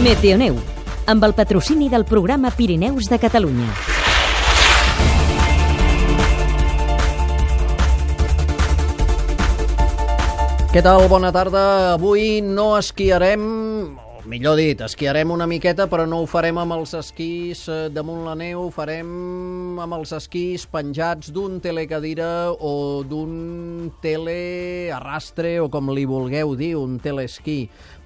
Meteoneu, amb el patrocini del programa Pirineus de Catalunya. Què tal? Bona tarda. Avui no esquiarem, o millor dit, esquiarem una miqueta, però no ho farem amb els esquís damunt la neu, ho farem amb els esquís penjats d'un telecadira o d'un telearrastre, o com li vulgueu dir, un teleesquí.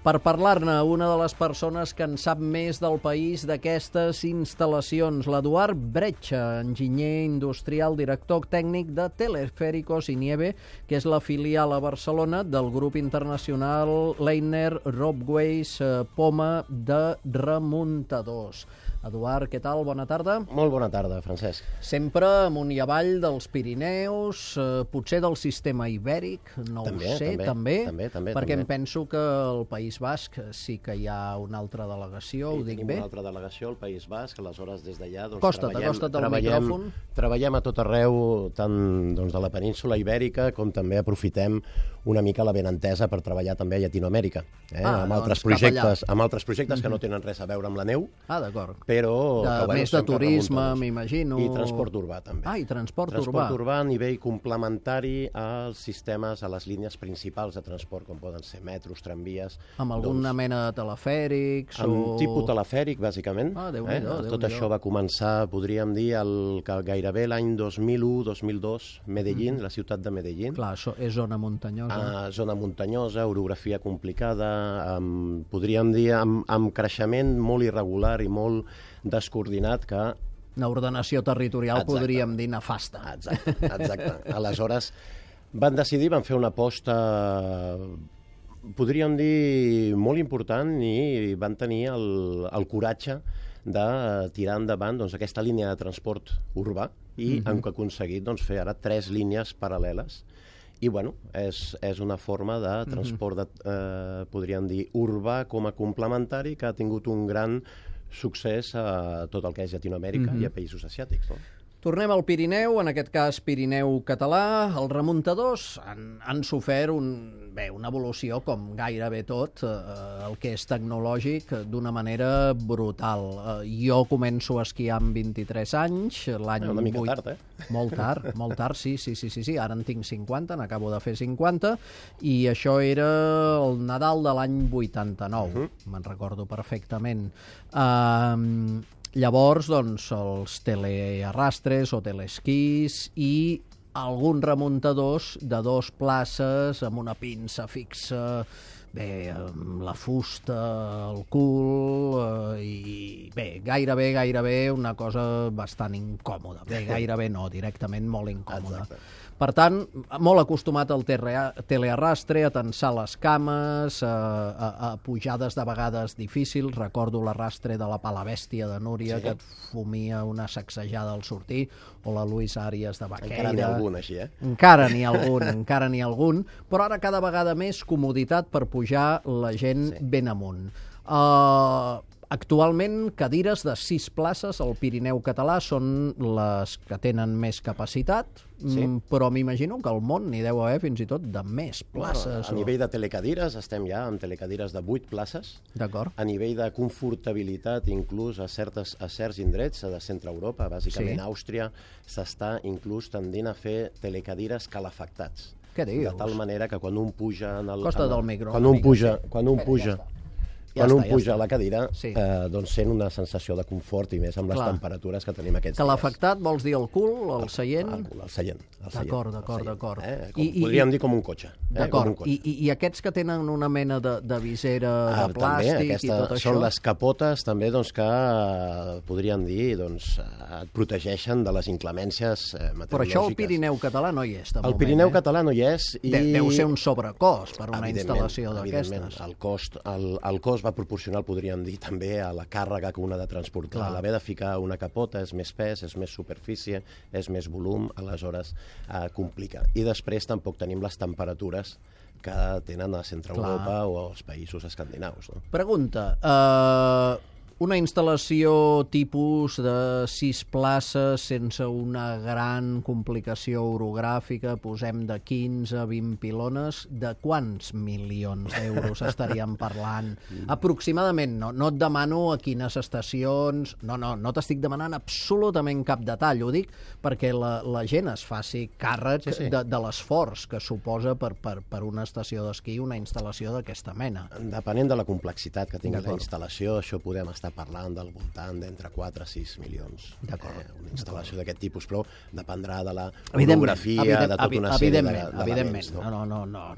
Per parlar-ne, una de les persones que en sap més del país d'aquestes instal·lacions, l'Eduard Bretxa, enginyer industrial, director tècnic de Teleféricos y Nieve, que és la filial a Barcelona del grup internacional Leitner Ropeways Poma de remuntadors. Eduard, què tal? Bona tarda. Molt bona tarda, Francesc. Sempre amunt i avall dels Pirineus, potser del sistema ibèric, no ho sé, també, perquè em penso que al País Basc sí que hi ha una altra delegació, ho dic bé? Una altra delegació al País Basc, aleshores des d'allà Costa't el micròfon. Treballem a tot arreu, tant de la península ibèrica com també aprofitem una mica la benentesa per treballar també a Llatinoamèrica, amb altres projectes que no tenen res a veure amb la neu. Ah, d'acord. Però més de turisme, m'imagino. I transport urbà, també. I transport urbà. Transport urbà a nivell complementari als sistemes, a les línies principals de transport, com poden ser metros, tramvies... Amb alguna mena de telefèrics? Amb tipus telefèric, bàsicament. Déu-n'hi-do. Tot això va començar, podríem dir, gairebé l'any 2001-2002, Medellín, la ciutat de Medellín. Clar, això és zona muntanyosa. Zona muntanyosa, orografia complicada, podríem dir, amb creixement molt irregular i molt descoordinat que... Una ordenació territorial, podríem dir, nefasta. Exacte. Aleshores, van fer una aposta, podríem dir, molt important i van tenir el coratge de tirar endavant aquesta línia de transport urbà i han aconseguit fer ara 3 línies paral·leles. I, bueno, és una forma de transport, podríem dir, urbà com a complementari que ha tingut un gran succés a tot el que és Llatinoamèrica i a països asiàtics, no? Tornem al Pirineu, en aquest cas Pirineu català. Els remuntadors han sofert una evolució, com gairebé tot, el que és tecnològic, d'una manera brutal. Jo començo a esquiar amb 23 anys, l'any 8... Una mica tard, Molt tard, sí. Ara en tinc 50, n'acabo de fer 50, i això era el Nadal de l'any 89, me'n recordo perfectament. Llavors, doncs, els telearrastres o teleesquís i alguns remuntadors de 2 places amb una pinça fixa, amb la fusta, el cul, i gairebé una cosa bastant incòmoda. Gairebé no, directament molt incòmoda. Exacte. Per tant, molt acostumat al telearrastre, a tensar les cames, a pujades de vegades difícils. Recordo l'arrastre de la Palabèstia de Núria, que et fumia una sacsejada al sortir, o la Luis Àries de Baqueira. Encara n'hi ha algun, així, Encara n'hi ha algun, però ara cada vegada més comoditat per pujar la gent ben amunt. Actualment, cadires de 6 places al Pirineu català són les que tenen més capacitat, però m'imagino que al món n'hi deu haver fins i tot de més places. A nivell de telecadires estem ja amb telecadires de 8 places. D'acord. A nivell de confortabilitat, inclús a certs indrets de centre Europa, bàsicament Àustria, s'està inclús tendint a fer telecadires calefactats. Què dius? De tal manera que quan un puja... Costa del micro. Quan un puja a la cadira, doncs sent una sensació de confort i més amb les temperatures que tenim aquests dies. Calefactat vols dir el cul, el seient? El seient. D'acord. Podríem dir com un cotxe. D'acord. I aquests que tenen una mena de visera de plàstic i tot això? Són les capotes també que podríem dir et protegeixen de les inclemències meteorològiques. Però això al Pirineu català no hi és, de moment. El Pirineu català no hi és. Deu ser un sobrecost per una instal·lació d'aquestes. El cost va proporcional, podríem dir, també a la càrrega que una ha de transportar. L'haver de ficar una capota és més pes, és més superfície, és més volum, aleshores complica. I després tampoc tenim les temperatures que tenen a Centre Europa o als països escandinaus. Pregunta, Una instal·lació tipus de 6 places sense una gran complicació orogràfica, posem de 15 a 20 pilones, de quants milions d'euros estaríem parlant? Aproximadament, no et demano a quines estacions, no t'estic demanant absolutament cap detall, ho dic perquè la gent es faci càrrec de l'esforç que suposa per una estació d'esquí una instal·lació d'aquesta mena. Depenent de la complexitat que tingui la instal·lació, això podem estar parlant del voltant d'entre 4 a 6 milions. Una instal·lació d'aquest tipus, però dependrà de la orografia, de tota una sèrie d'elements. Evidentment,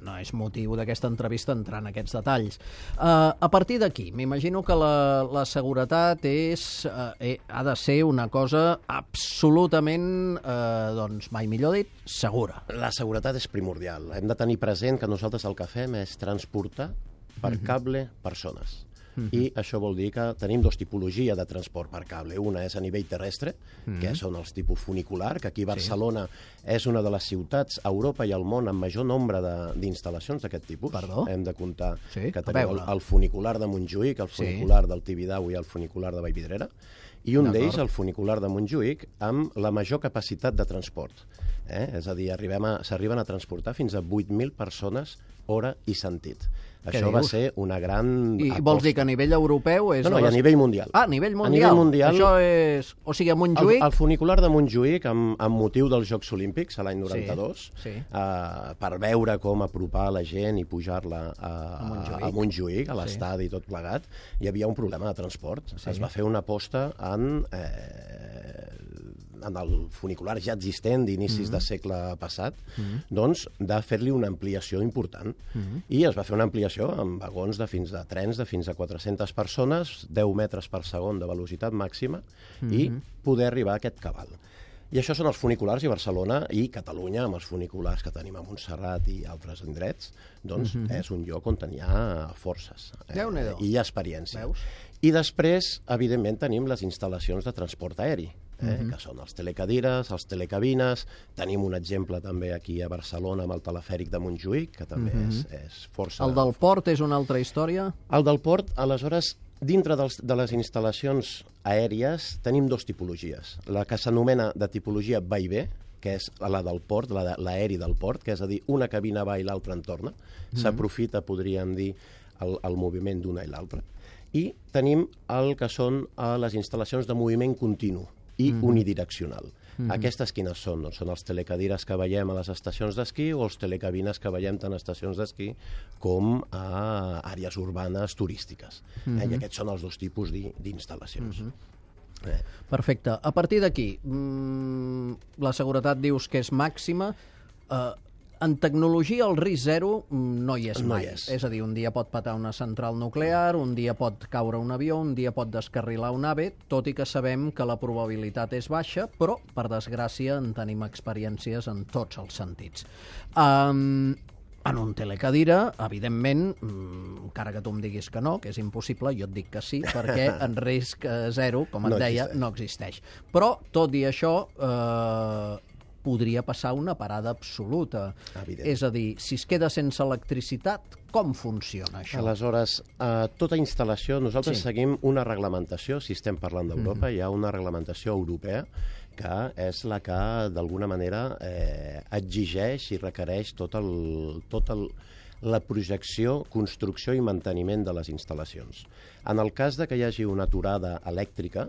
no és motiu d'aquesta entrevista entrar en aquests detalls. A partir d'aquí, m'imagino que la seguretat ha de ser una cosa absolutament, mai millor dit, segura. La seguretat és primordial. Hem de tenir present que nosaltres el que fem és transportar per cable persones. I això vol dir que tenim 2 tipologies de transport per cable. Una és a nivell terrestre, que són els tipus funicular, que aquí a Barcelona és una de les ciutats a Europa i al món amb major nombre d'instal·lacions d'aquest tipus. Perdó? Hem de comptar que tenim el funicular de Montjuïc, el funicular del Tibidabo i el funicular de Vallvidrera, i un d'ells, el funicular de Montjuïc, amb la major capacitat de transport. És a dir, s'arriben a transportar fins a 8.000 persones hora i sentit. Això va ser una gran aposta. I vols dir que a nivell europeu és... No, i a nivell mundial. A nivell mundial. Això és... O sigui, a Montjuïc... El funicular de Montjuïc, amb motiu dels Jocs Olímpics, l'any 92, per veure com apropar la gent i pujar-la a Montjuïc, a l'estadi i tot plegat, hi havia un problema de transport. Es va fer una aposta en el funicular ja existent d'inicis de segle passat, doncs de fer-li una ampliació important. I es va fer una ampliació amb vagons de trens de fins a 400 persones, 10 metres per segon de velocitat màxima, i poder arribar a aquest cabal. I això són els funiculars, i Barcelona i Catalunya, amb els funiculars que tenim a Montserrat i altres indrets, doncs és un lloc on hi ha forces i hi ha experiència. I després, evidentment, tenim les instal·lacions de transport aeri, que són els telecadires, els telecabines. Tenim un exemple també aquí a Barcelona amb el telefèric de Montjuïc, que també és força... El del port és una altra història? El del port, aleshores, dintre de les instal·lacions aèries tenim 2 tipologies. La que s'anomena de tipologia va i ve, que és la del port, l'aeri del port, que és a dir, una cabina va i l'altra en torna. S'aprofita, podríem dir, el moviment d'una i l'altra. I tenim el que són les instal·lacions de moviment continu i unidireccional. Aquestes quines són? Doncs són els telecadires que veiem a les estacions d'esquí o els telecabines que veiem tant a estacions d'esquí com a àrees urbanes turístiques. I aquests són els 2 tipus d'instal·lacions. Perfecte. A partir d'aquí, la seguretat dius que és màxima. En tecnologia el risc zero no hi és mai. És a dir, un dia pot patar una central nuclear, un dia pot caure un avió, un dia pot descarrilar un AVE, tot i que sabem que la probabilitat és baixa, però, per desgràcia, en tenim experiències en tots els sentits. En un telecadira, evidentment, encara que tu em diguis que no, que és impossible, jo et dic que sí, perquè en risc zero, com et deia, no existeix. Però, tot i això, podria passar una parada absoluta. És a dir, si es queda sense electricitat, com funciona això? Aleshores, tota instal·lació, nosaltres seguim una reglamentació, si estem parlant d'Europa, hi ha una reglamentació europea que és la que, d'alguna manera, exigeix i requereix tota la projecció, construcció i manteniment de les instal·lacions. En el cas de que hi hagi una aturada elèctrica,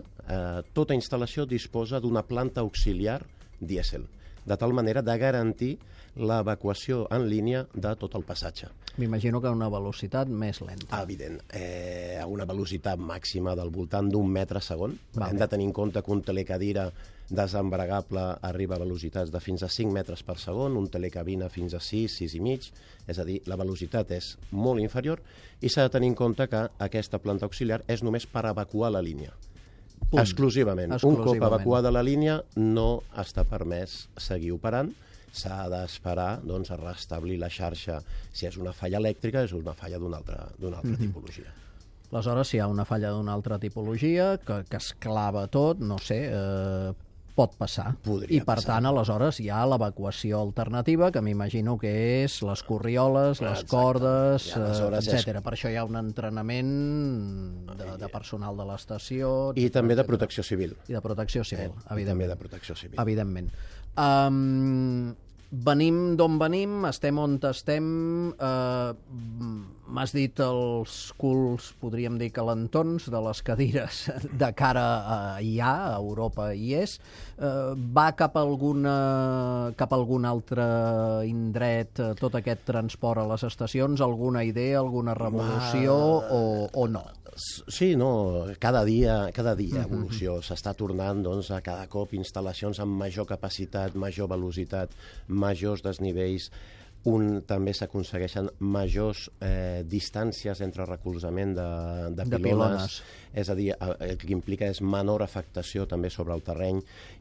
tota instal·lació disposa d'una planta auxiliar dièsel, de tal manera de garantir l'evacuació en línia de tot el passatge. M'imagino que a una velocitat més lenta. Evident. A una velocitat màxima del voltant d'1 metre segon. Hem de tenir en compte que un telecadira desembregable arriba a velocitats de fins a 5 metres per segon, un telecabina fins a 6, 6 i mig, és a dir, la velocitat és molt inferior i s'ha de tenir en compte que aquesta planta auxiliar és només per evacuar la línia. Exclusivament. Un cop evacuada la línia no està permès seguir operant, s'ha d'esperar a restablir la xarxa. Si és una falla elèctrica, és una falla d'una altra tipologia. Aleshores, si hi ha una falla d'una altra tipologia, que es clava tot, no sé, pot passar. I per tant, aleshores, hi ha l'evacuació alternativa, que m'imagino que és les corrioles, les cordes, etc. Per això hi ha un entrenament de personal de l'estació... I també de protecció civil. I de protecció civil, evidentment. També de protecció civil. Evidentment. Venim d'on venim, estem on estem, m'has dit els culs, podríem dir calentons, de les cadires de cara a allà, a Europa hi és. Va cap a algun altre indret tot aquest transport a les estacions? Alguna idea, alguna revolució o no? Sí, no, cada dia evolució. S'està tornant a cada cop instal·lacions amb major capacitat, major velocitat, majors desnivells. També s'aconsegueixen majors distàncies entre recolzament de pilones. És a dir, el que implica és menor afectació també sobre el terreny,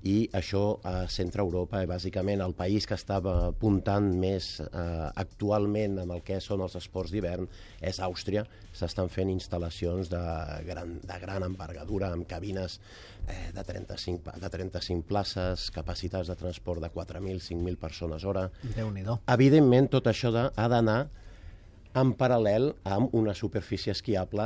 i això a centre Europa, bàsicament el país que estava apuntant més actualment amb el que són els esports d'hivern és Àustria. S'estan fent instal·lacions de gran envergadura, amb cabines de 35 places, capacitats de transport de 4.000, 5.000 persones hora. Déu-n'hi-do. Evidentment, tot això ha d'anar en paral·lel amb una superfície esquiable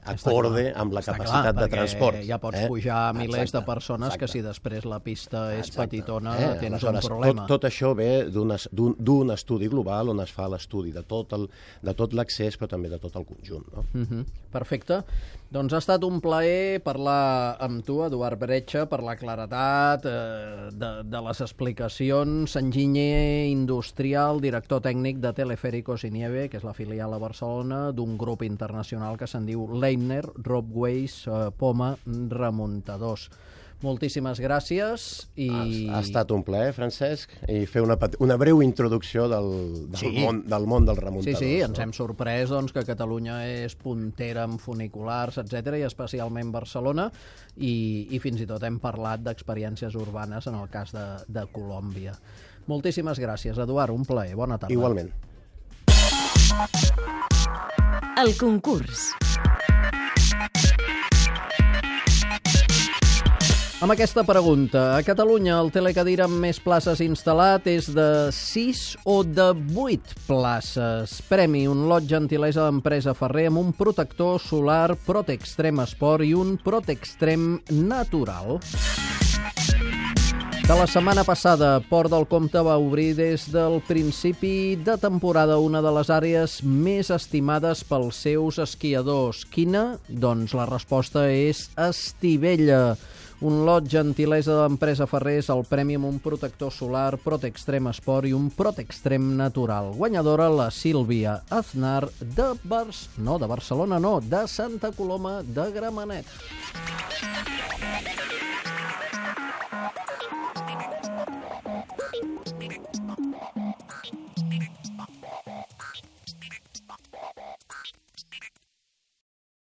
acorde amb la capacitat de transport. Ja pots pujar a milers de persones que si després la pista és petitona tens un problema. Tot això ve d'un estudi global on es fa l'estudi de tot l'accés, però també de tot el conjunt. Perfecte. Doncs ha estat un plaer parlar amb tu, Eduard Bretxa, per la claredat de les explicacions. Enginyer industrial, director tècnic de Teleféricos y Nieve, que és la filial a Barcelona d'un grup internacional que se'n diu Leitner Ropeways Poma Remuntadors. Moltíssimes gràcies. Ha estat un plaer, Francesc, i fer una breu introducció del món dels remuntadors. Sí, ens hem sorprès que Catalunya és puntera en funiculars, etc., i especialment Barcelona, i fins i tot hem parlat d'experiències urbanes en el cas de Colòmbia. Moltíssimes gràcies, Eduard, un plaer. Bona tarda. Igualment. El concurs. Amb aquesta pregunta, a Catalunya el telecadira amb més places instal·lat és de 6 o de 8 places. Premi, un lot gentilesa d'empresa Ferrer amb un protector solar Protextrem Sport i un Protextrem natural. De la setmana passada, Port del Comte va obrir des del principi de temporada una de les àrees més estimades pels seus esquiadors. Quina? Doncs la resposta és Estivella. Un lot gentilesa d'empresa Ferrer és el premi amb un protector solar Protextrem Sport i un Protextrem natural. Guanyadora la Sílvia Aznar de Barcelona, de Santa Coloma de Gramenet.